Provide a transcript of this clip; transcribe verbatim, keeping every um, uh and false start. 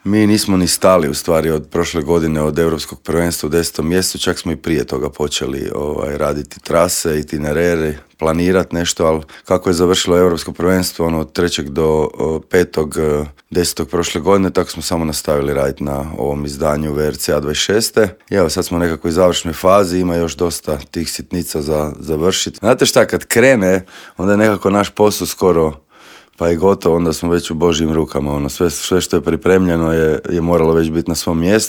Mi nismo ni stali u stvari od prošle godine, od Europskog prvenstva u desetom mjesecu, čak smo i prije toga počeli ovaj, raditi trase, itinerere, planirati nešto, ali kako je završilo Europsko prvenstvo ono, od trećeg do petog desetog prošle godine, tako smo samo nastavili raditi na ovom izdanju V R C A dvadeset šest. I evo, sad smo nekako u završnoj fazi, ima još dosta tih sitnica za završiti. Znate šta, kad krene, onda je nekako naš posao skoro pa je gotovo, onda smo već u Božjim rukama. Ono, sve, sve što je pripremljeno je, je moralo već biti na svom mjestu.